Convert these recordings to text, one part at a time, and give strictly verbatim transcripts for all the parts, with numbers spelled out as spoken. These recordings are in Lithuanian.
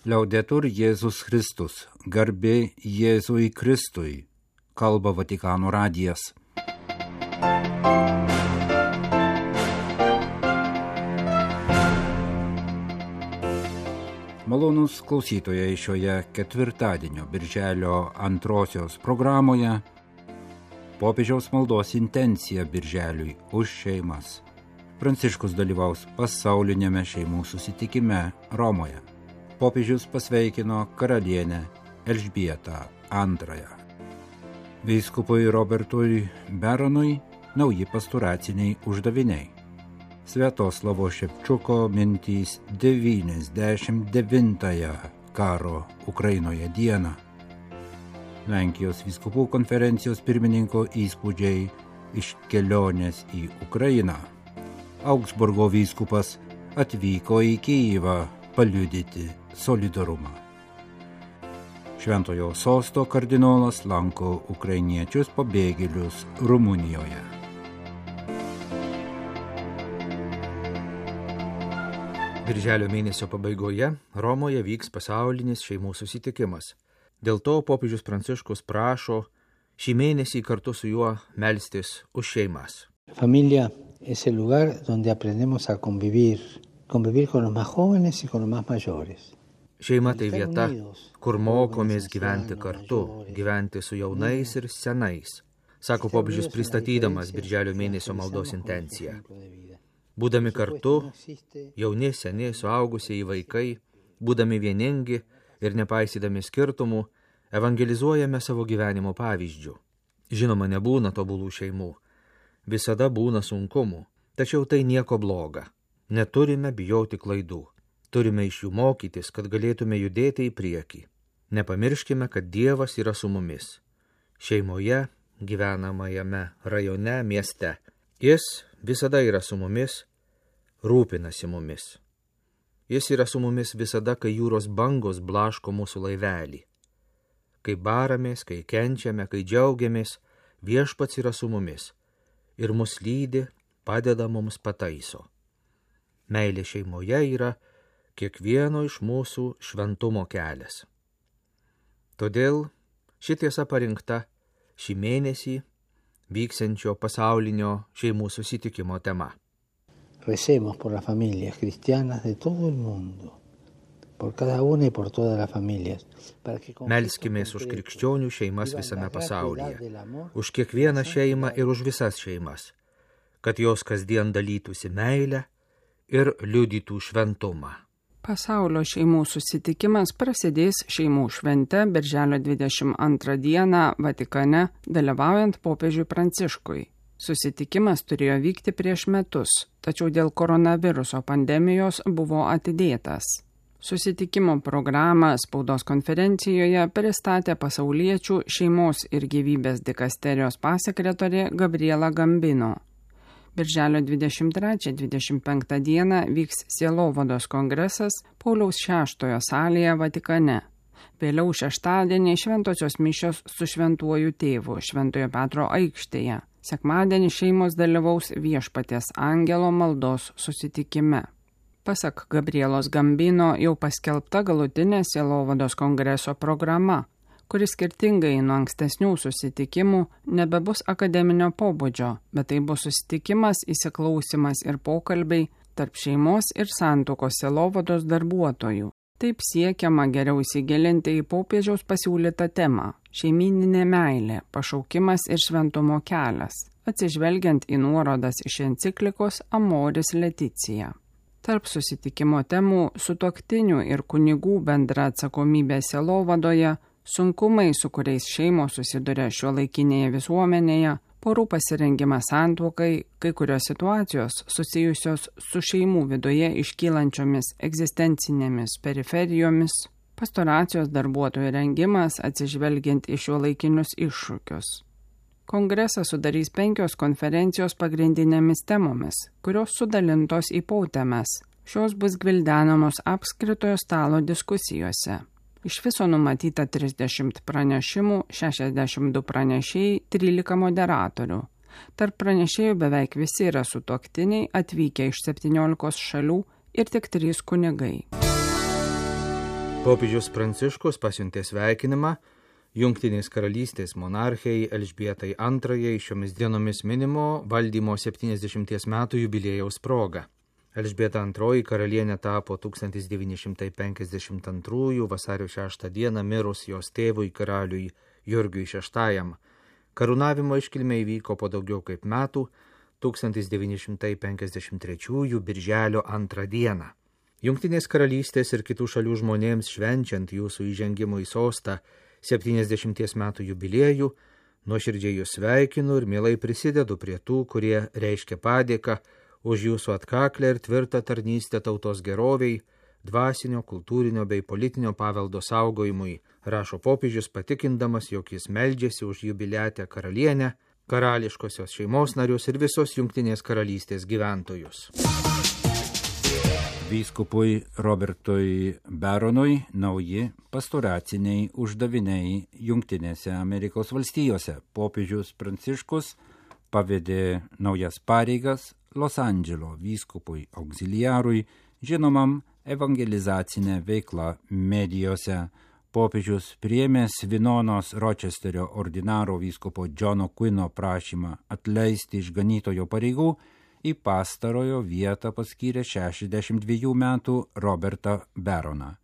Liaudetur Jėzus Kristus, garbė Jėzui Kristui, kalba Vatikano radijas. Malonūs klausytojai, šioje ketvirtadienio birželio antrosios programoje popiežiaus maldos intencija birželiui už šeimas. Pranciškus dalyvaus pasaulinėme šeimų susitikime Romoje. Popiežius pasveikino karalienę Elžbietą antrąją. Vyskupui Robertui Beronui nauji pastoraciniai uždaviniai. Sviatoslavo Ševčiuko mintys devyniasdešimt devintąją karo Ukrainoje dieną. Lenkijos vyskupų konferencijos pirmininko įspūdžiai iš kelionės į Ukrainą. Augsburgo vyskupas atvyko į Kijivą paliudyti solidarumą. Šventojo sosto kardinolas lanko ukrainiečius pabėgėlius Rumunijoje. Birželio mėnesio pabaigoje Romoje vyks pasaulinis šeimų susitikimas. Dėl to popiežius Pranciškus prašo šį mėnesį kartu su juo melstis už šeimas. Familia es el lugar donde aprendemos a convivir, convivir con los más jóvenes y con los más mayores. Šeima tai vieta, kur mokomės gyventi kartu, gyventi su jaunais ir senais, sako popiežius pristatydamas Birželio mėnesio maldos intenciją. Būdami kartu, jauni, seni, suaugusieji vaikai, būdami vieningi ir nepaisydami skirtumų, evangelizuojame savo gyvenimo pavyzdžių. Žinoma, nebūna tobulų šeimų, visada būna sunkumų, tačiau tai nieko bloga. Neturime bijoti klaidų, turime iš jų mokytis, kad galėtume judėti į priekį. Nepamirškime, kad Dievas yra su mumis. Šeimoje, gyvenamajame rajone, mieste. Jis visada yra su mumis, rūpinasi mumis. Jis yra su mumis visada, kai jūros bangos blaško mūsų laivelį. Kai baramės, kai kenčiame, kai džiaugiamės, Viešpats yra su mumis ir mus lydi, padeda mums pataiso. Meilė šeimoje yra kiekvieno iš mūsų šventumo kelias. Todėl ši tiesa parinkta šį mėnesį vyksiančio pasaulinio šeimų susitikimo tema. Recemos por las familias cristianas de todo el mundo, por cada una y por todas las familias. Melskimės už krikščionių šeimas visame pasaulyje, už kiekvieną šeimą ir už visas šeimas, kad jos kasdien dalytųsi meilę ir liudytų šventumą. Pasaulio šeimų susitikimas prasidės šeimų švente Birželio dvidešimt antrą dieną Vatikane, dalyvaujant popiežiui Pranciškui. Susitikimas turėjo vykti prieš metus, tačiau dėl koronaviruso pandemijos buvo atidėtas. Susitikimo programą spaudos konferencijoje pristatė pasauliečių šeimos ir gyvybės dikasterijos pasekretorė Gabriela Gambino. Birželio dvidešimt trečią dvidešimt penktą dieną vyks Sielovados kongresas Pauliaus šeštojo salėje Vatikane. Vėliau šeštadienį šventosios mišios su šventuoju tėvu Šventojo Petro aikštėje. Sekmadienį šeimos dalyvaus Viešpaties angelo maldos susitikime. Pasak Gabrielos Gambino jau paskelbta galutinė Sielovados kongreso programa, kuris skirtingai nuo ankstesnių susitikimų nebebus akademinio pobūdžio, bet tai bus susitikimas, įsiklausimas ir pokalbiai tarp šeimos ir santuokos sielovados darbuotojų. Taip siekiama geriau įsigilinti į popiežiaus pasiūlytą temą – šeimyninė meilė, pašaukimas ir šventumo kelias, atsižvelgiant į nuorodas iš enciklikos Amoris Leticija. Tarp susitikimo temų sutuoktinių ir kunigų bendra atsakomybė sielovadoje, sunkumai, su kuriais šeimos susiduria šiuolaikinėje visuomenėje, porų pasirengimas santuokai, kai kurios situacijos susijusios su šeimų viduje iškylančiomis egzistencinėmis periferijomis, pastoracijos darbuotojų rengimas atsižvelgiant į šiuolaikinius iššūkius. Kongresą sudarys penkios konferencijos pagrindinėmis temomis, kurios sudalintos į potemes. Šios bus gvildenamos apskritojo stalo diskusijose. Iš viso numatyta trisdešimt pranešimų, šešiasdešimt du pranešėjai, trylika moderatorių. Tarp pranešėjų beveik visi yra sutuoktiniai atvykę iš septyniolikos šalių ir tik trys kunigai. Popiežius Pranciškus pasiuntė sveikinimą Jungtinės karalystės monarchijai Elžbietai antrajai šiomis dienomis minimo valdymo septyniasdešimties metų jubiliejaus proga. Elžbieta antroji karalienė tapo tūkstantis devyni šimtai penkiasdešimt antrųjų vasario šeštą dieną mirus jos tėvui karaliui Jurgiui šeštajam. Karūnavimo iškilmė įvyko po daugiau kaip metų tūkstantis devyni šimtai penkiasdešimt trečiųjų birželio antrą dieną. Jungtinės karalystės ir kitų šalių žmonėms švenčiant jūsų įžengimo į sostą septyniasdešimties metų jubiliejų, nuoširdžiai jūs sveikinu ir mielai prisidedu prie tų, kurie reiškia padėką už jūsų atkaklę ir tvirtą tarnystę tautos geroviai, dvasinio, kultūrinio bei politinio paveldo saugojimui, rašo popiežius patikindamas, jog jis meldžiasi už jubiliatę karalienę, karališkosios šeimos narius ir visos Jungtinės karalystės gyventojus. Vyskupui Robertui Baronui nauji pastoraciniai uždaviniai Jungtinėse Amerikos valstijose. Popiežius Pranciškus pavedė naujas pareigas Los Andželo vyskupui auxiliarui, žinomam evangelizacinę veiklą medijose. Popiežius priėmė Svinonos Ročesterio ordinaro vyskupo Džono Quino prašymą atleisti iš ganytojo pareigų, į pastarojo vietą paskyrė šešiasdešimt dviejų metų Robertą Baroną.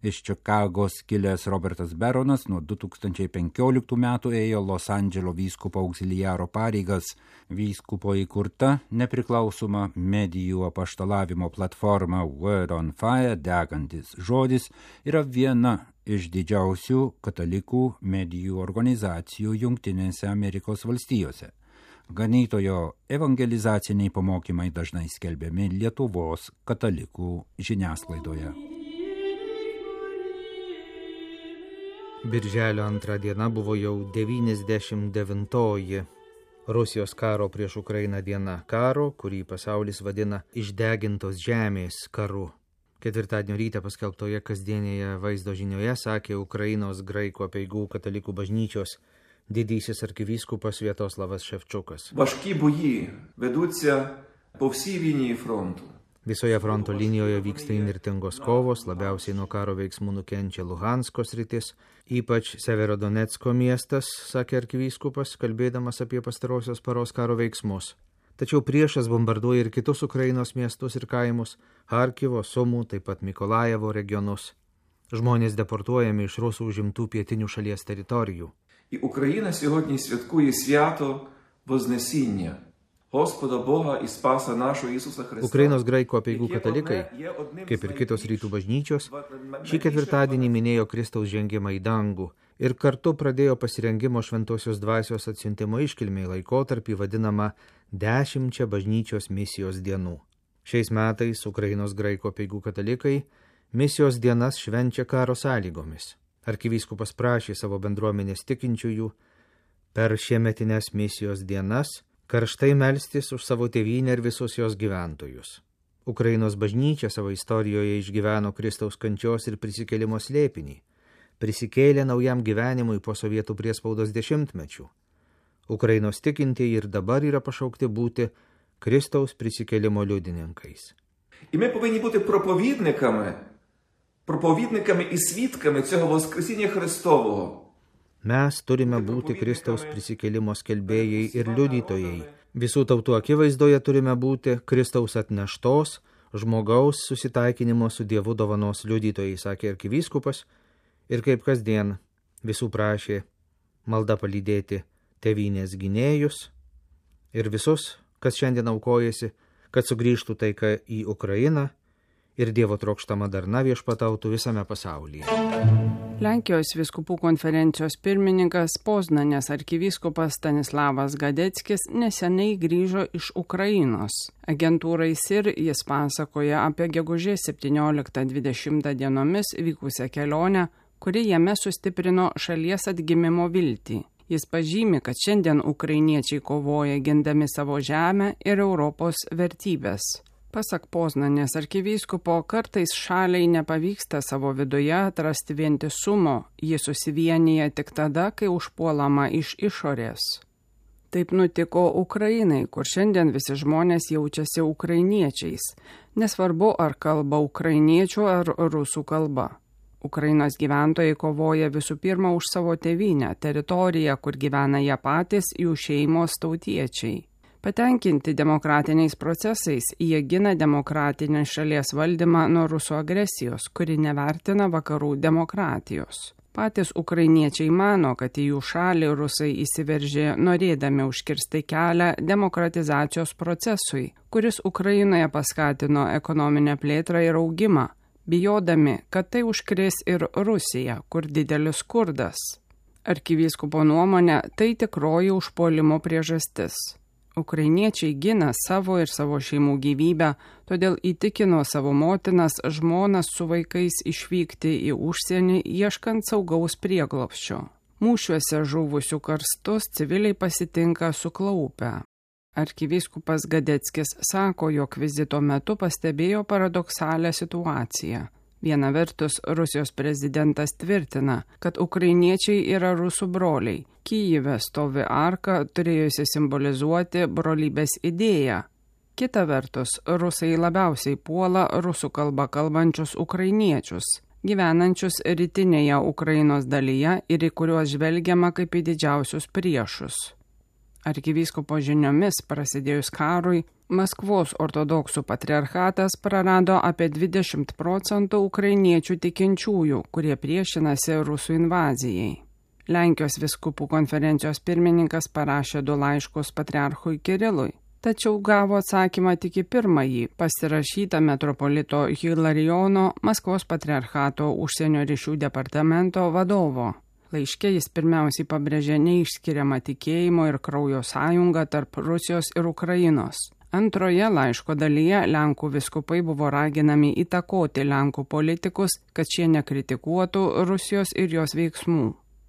Iš Čikagos kilęs Robertas Baronas nuo du tūkstančiai penkioliktų metų ėjo Los Andželo vyskupo auxiliaro pareigas. Vyskupo įkurta nepriklausoma medijų apaštalavimo platforma Word on Fire, degantis žodis, yra viena iš didžiausių katalikų medijų organizacijų Jungtinėse Amerikos valstijose. Ganytojo evangelizaciniai pamokymai dažnai skelbiami Lietuvos katalikų žiniasklaidoje. Birželio antrą diena buvo jau devyniasdešimt devintoji Rusijos karo prieš Ukrainą diena, karo, kurį pasaulis vadina išdegintos žemės karu. Ketvirtadienio rytą paskelbtoje kasdienėje vaizdo žinioje sakė Ukrainos graikų apeigų katalikų bažnyčios didysis arkivyskupas Sviatoslavas Ševčukas. Важкі бої ведуться по всій лінії фронту. Visoje fronto linijoje vyksta įnirtingos kovos, labiausiai nuo karo veiksmų nukenčia Luhansko sritis, ypač Severodonecko miestas, sakė arkivyskupas, kalbėdamas apie pastarosios paros karo veiksmus. Tačiau priešas bombarduoja ir kitus Ukrainos miestus ir kaimus, Harkivo, Sumų, taip pat Mikolajevo regionus. Žmonės deportuojami iš rusų užimtų pietinių šalies teritorijų. І Україна сьогодні святкує свято Вознесіння Господа Бога і Спаса нашого Ісуса Христа. Ukrainos graikų apeigų katalikai, kaip ir kitos rytų bažnyčios, šį ketvirtadienį minėjo Kristaus žengimą į dangų ir kartu pradėjo pasirengimo šventosios dvasios atsiuntimo iškilmei laikotarpį vadinamą dešimčia bažnyčios misijos dienų. Šiais metais Ukrainos graikų apeigų katalikai misijos dienas švenčia karo sąlygomis. Arkivyskupas prašė savo bendruomenės tikinčiųjų per šiemetinės misijos dienas karštai melstis už savo tėvynę ir visus jos gyventojus. Ukrainos bažnyčia savo istorijoje išgyveno Kristaus kančios ir prisikėlimo slėpinį, prisikėlė naujam gyvenimui po sovietų priespaudos dešimtmečių. Ukrainos tikintieji ir dabar yra pašaukti būti Kristaus prisikėlimo liudininkais. І ми повинні бути проповідниками проповідниками і свідками цього Воскресіння Христового. Mes turime būti Kristaus prisikėlimo skelbėjai ir liudytojai. Visų tautų akivaizdoje turime būti Kristaus atneštos, žmogaus susitaikinimo su Dievu dovanos liudytojai, sakė arkivyskupas, ir kaip kasdien visų prašė malda palydėti tėvynės gynėjus ir visus, kas šiandien aukojasi, kad sugrįžtų taika į Ukrainą ir Dievo trokštama darna viešpatautų visame pasaulyje. Lenkijos vyskupų konferencijos pirmininkas Poznanės arkivyskupas Stanislavas Gadeckis neseniai grįžo iš Ukrainos. Agentūrai S I R jis pasakoja apie gegužės septynioliktą dvidešimtą dienomis vykusią kelionę, kuri jame sustiprino šalies atgimimo viltį. Jis pažymi, kad šiandien ukrainiečiai kovoja gindami savo žemę ir Europos vertybės. Pasak Poznanės arkivyskupo, kartais šaliai nepavyksta savo viduje atrasti vientisumo, ji susivienyje tik tada, kai užpuolama iš išorės. Taip nutiko Ukrainai, kur šiandien visi žmonės jaučiasi ukrainiečiais, nesvarbu ar kalba ukrainiečių ar rusų kalba. Ukrainos gyventojai kovoja visų pirma už savo tėvynę, teritoriją, kur gyvena jie patys, jų šeimos, tautiečiai. Patenkinti demokratiniais procesais, jie gina demokratinį šalies valdymą nuo rusų agresijos, kuri nevertina vakarų demokratijos. Patys ukrainiečiai mano, kad į jų šalį rusai įsiveržė norėdami užkirsti kelią demokratizacijos procesui, kuris Ukrainoje paskatino ekonominę plėtrą ir augimą, bijodami, kad tai užkrės ir Rusija, kur didelis skurdas. Arkivyskupo nuomonė, tai tikroji užpuolimo priežastis. Ukrainiečiai gina savo ir savo šeimų gyvybę, todėl įtikino savo motinas, žmonas su vaikais išvykti į užsienį, ieškant saugaus prieglobsčio. Mūšiuose žuvusių karstus civiliai pasitinka suklaupę. Arkivyskupas Gadeckis sako, jog vizito metu pastebėjo paradoksalią situaciją. Viena vertus, Rusijos prezidentas tvirtina, kad ukrainiečiai yra rusų broliai. Kyjive stovi arka, turėjusi simbolizuoti brolybės idėją. Kita vertus, rusai labiausiai puola rusų kalbą kalbančius ukrainiečius, gyvenančius rytinėje Ukrainos dalyje ir į kuriuos žvelgiama kaip į didžiausius priešus. Arkivyskupo žiniomis prasidėjus karui, Maskvos ortodoksų patriarchatas prarado apie dvidešimt procentų ukrainiečių tikinčiųjų, kurie priešinasi rusų invazijai. Lenkijos vyskupų konferencijos pirmininkas parašė du laiškus patriarchui Kirilui, tačiau gavo atsakymą tik į pirmąjį, pasirašytą metropolito Hilarijono, Maskvos patriarchato užsienio ryšių departamento vadovo. Laiške jis pirmiausiai pabrėžė neišskiriamą tikėjimo ir kraujo sąjungą tarp Rusijos ir Ukrainos. Antroje laiško dalyje Lenkų vyskupai buvo raginami įtakoti Lenkų politikus, kad šie nekritikuotų Rusijos ir jos veiksmų.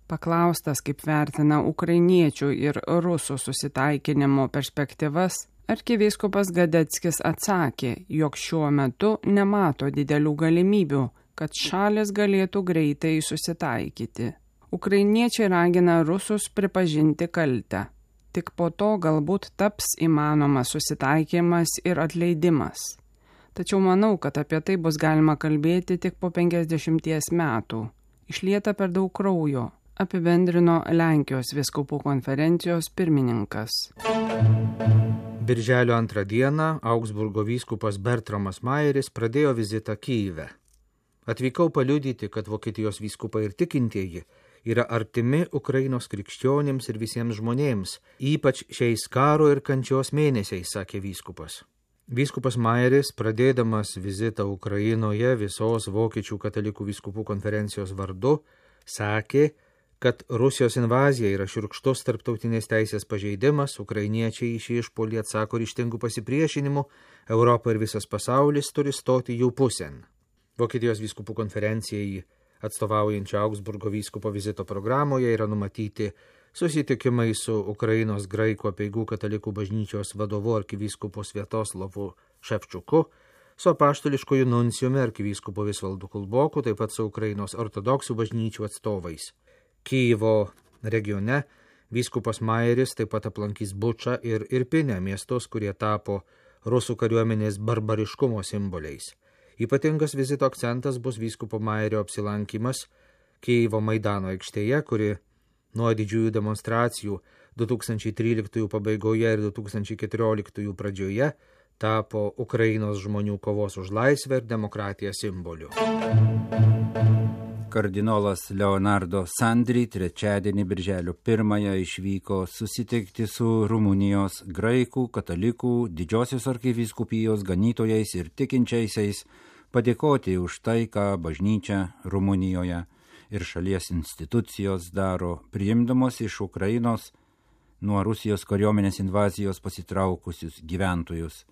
Paklaustas, kaip vertina ukrainiečių ir rusų susitaikinimo perspektyvas, arkivyskupas Gadeckis atsakė, jog šiuo metu nemato didelių galimybių, kad šalis galėtų greitai susitaikyti. Ukrainiečiai ragina rusus pripažinti kaltę. Tik po to galbūt taps įmanomas susitaikymas ir atleidimas. Tačiau manau, kad apie tai bus galima kalbėti tik po penkiasdešimties metų. Išlieta per daug kraujo, apibendrino Lenkijos vyskupų konferencijos pirmininkas. Birželio antrą dieną Augsburgo vyskupas Bertramas Majeris pradėjo vizitą Kyjive. Atvykau paliudyti, kad Vokietijos vyskupai ir tikintieji yra artimi Ukrainos krikščionims ir visiems žmonėms, ypač šiais karo ir kančios mėnesiais, sakė vyskupas. Vyskupas Majeris, pradėdamas vizitą Ukrainoje visos Vokiečių katalikų vyskupų konferencijos vardu, sakė, kad Rusijos invazija yra šiurkštus tarptautinės teisės pažeidimas, ukrainiečiai į šį išpuolį atsako ryžtingų pasipriešinimų, Europa ir visas pasaulis turi stoti jų pusėn. Vokietijos vyskupų konferencijai atstovaujančio Augsburgo vyskupo vizito programoje yra numatyti susitikimai su Ukrainos graikų apeigų katalikų bažnyčios vadovu arkivyskupu Sviatoslavu Ševčiuku, su apaštališkoju nuncijumi arkivyskupu Visvaldu Kulboku, taip pat su Ukrainos ortodoksų bažnyčių atstovais. Kyjivo regione vyskupas Majeris taip pat aplankys Bučą ir Irpinę, miestus, kurie tapo rusų kariuomenės barbariškumo simboliais. Ypatingas vizito akcentas bus vyskupo Majerio apsilankymas Kyjivo Maidano aikštėje, kuri nuo didžiųjų demonstracijų du tūkstančiai tryliktųjų pabaigoje ir du tūkstančiai keturioliktųjų pradžioje tapo Ukrainos žmonių kovos už laisvę ir demokratiją simboliu. Kardinolas Leonardo Sandri trečiadienį birželio pirmąją išvyko susitikti su Rumunijos graikų, katalikų, didžiosios arkivyskupijos ganytojais ir tikinčiaisiais, padėkoti už tai, ką bažnyčia Rumunijoje ir šalies institucijos daro, priimdamos iš Ukrainos nuo Rusijos kariuomenės invazijos pasitraukusius gyventojus.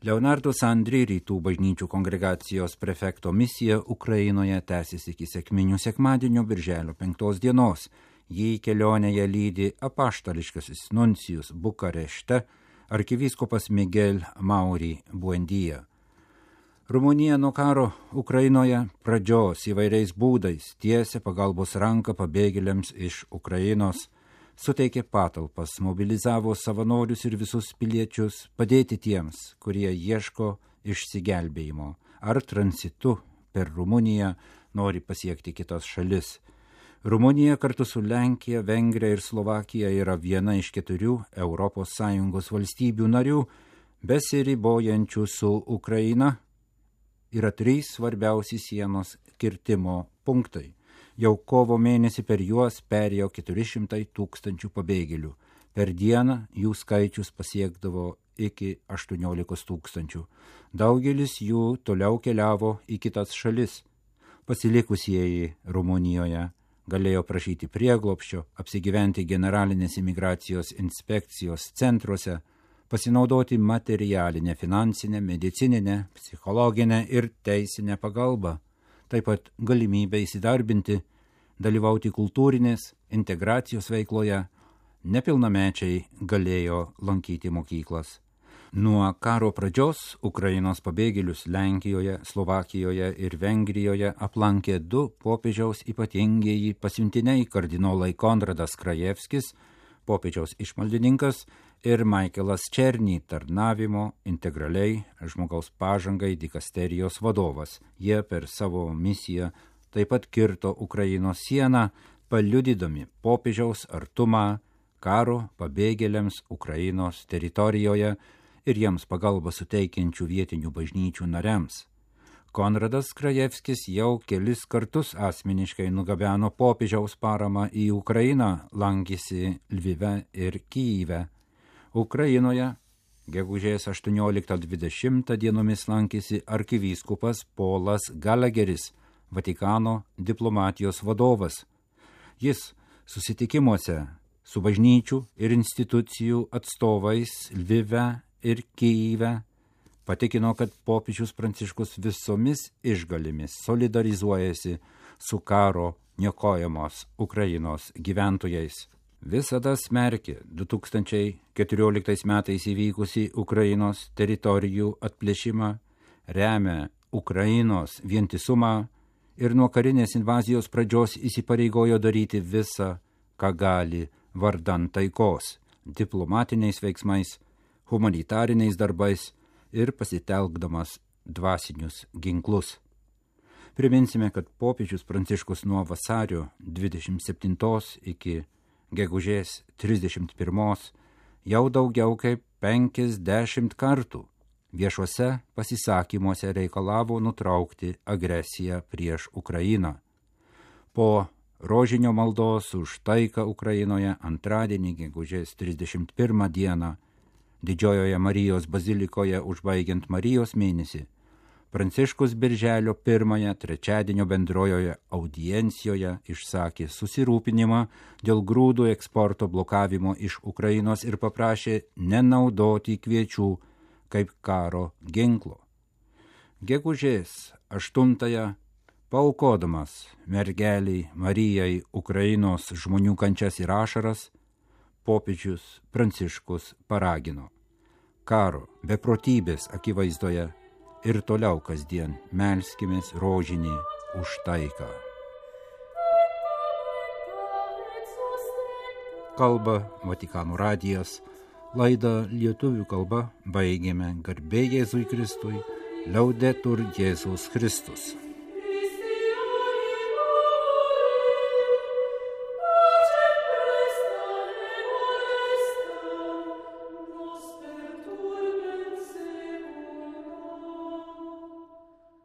Leonardo Sandri, rytų bažnyčių kongregacijos prefekto misija Ukrainoje tęsis iki sekminių sekmadienio birželio penktos dienos. Jį kelionėje lydi apaštališkasis nuncijus Bukarešte, arkivyskupas Miguel Mauri Buendija. Rumunija nuo karo Ukrainoje pradžios įvairiais būdais tiesia pagalbos ranką pabėgėliams iš Ukrainos, suteikė patalpas, mobilizavo savanorius ir visus piliečius padėti tiems, kurie ieško išsigelbėjimo ar transitu per Rumuniją nori pasiekti kitas šalis. Rumunija kartu su Lenkija, Vengrija ir Slovakija yra viena iš keturių Europos Sąjungos valstybių narių, besiribojančių su Ukraina. Yra trys svarbiausi sienos kirtimo punktai. Jau kovo mėnesį per juos perėjo keturi šimtai tūkstančių pabėgėlių. Per dieną jų skaičius pasiekdavo iki aštuoniolikos tūkstančių. Daugelis jų toliau keliavo į kitas šalis. Pasilikusieji Rumunijoje galėjo prašyti prieglobsčio, apsigyventi generalinės imigracijos inspekcijos centruose, pasinaudoti materialinę, finansinę, medicininę, psichologinę ir teisinę pagalbą, taip pat galimybę įsidarbinti, dalyvauti kultūrinės integracijos veikloje, nepilnamečiai galėjo lankyti mokyklas. Nuo karo pradžios Ukrainos pabėgėlius Lenkijoje, Slovakijoje ir Vengrijoje aplankė du popiežiaus ypatingieji pasiuntiniai kardinolai Konradas Krajevskis, popiežiaus išmaldininkas, ir Michaelas Černy, tarnavimo integraliai žmogaus pažangai dikasterijos vadovas. Jie per savo misiją taip pat kirto Ukrainos sieną, paliudydami popiežiaus artumą karo pabėgėliams Ukrainos teritorijoje ir jiems pagalbą suteikiančių vietinių bažnyčių nariams. Konradas Krajevskis jau kelis kartus asmeniškai nugabeno popiežiaus paramą į Ukrainą, lankėsi Lvive ir Kyjive. Ukrainoje gegužės aštuonioliktą dvidešimtą dienomis lankėsi arkivyskupas Polas Galageris, Vatikano diplomatijos vadovas. Jis susitikimuose su bažnyčių ir institucijų atstovais Lvive ir Kyjive patikino, kad popiežius Pranciškus visomis išgalimis solidarizuojasi su karo niokojamos Ukrainos gyventojais. Visada smerkė du tūkstančiai keturioliktais metais įvykusį Ukrainos teritorijų atplėšimą, remia Ukrainos vientisumą ir nuo karinės invazijos pradžios įsipareigojo daryti visą, ką gali vardan taikos, diplomatiniais veiksmais, humanitariniais darbais ir pasitelkdamas dvasinius ginklus. Priminsime, kad popiežius Pranciškus nuo vasario dvidešimt septintos iki gegužės trisdešimt pirmos jau daugiau kaip penkiasdešimt kartų viešuose pasisakymuose reikalavo nutraukti agresiją prieš Ukrainą. Po rožinio maldos už taiką Ukrainoje antradienį gegužės trisdešimt pirmą dieną Didžiojoje Marijos bazilikoje užbaigiant Marijos mėnesį, Pranciškus birželio pirmąją trečiadienio bendrojoje audiencijoje išsakė susirūpinimą dėl grūdų eksporto blokavimo iš Ukrainos ir paprašė nenaudoti kviečių kaip karo ginklo. Gegužės aštuntąją, paaukodamas mergeliai Marijai Ukrainos žmonių kančias ir ašaras, popiežius Pranciškus paragino karo beprotybės akivaizdoje ir toliau kasdien melskimės rožinį už taiką. Kalba Vatikano radijas, laidą lietuvių kalba baigėme. Garbė Jėzui Kristui, Laudetur Jėzus Kristus.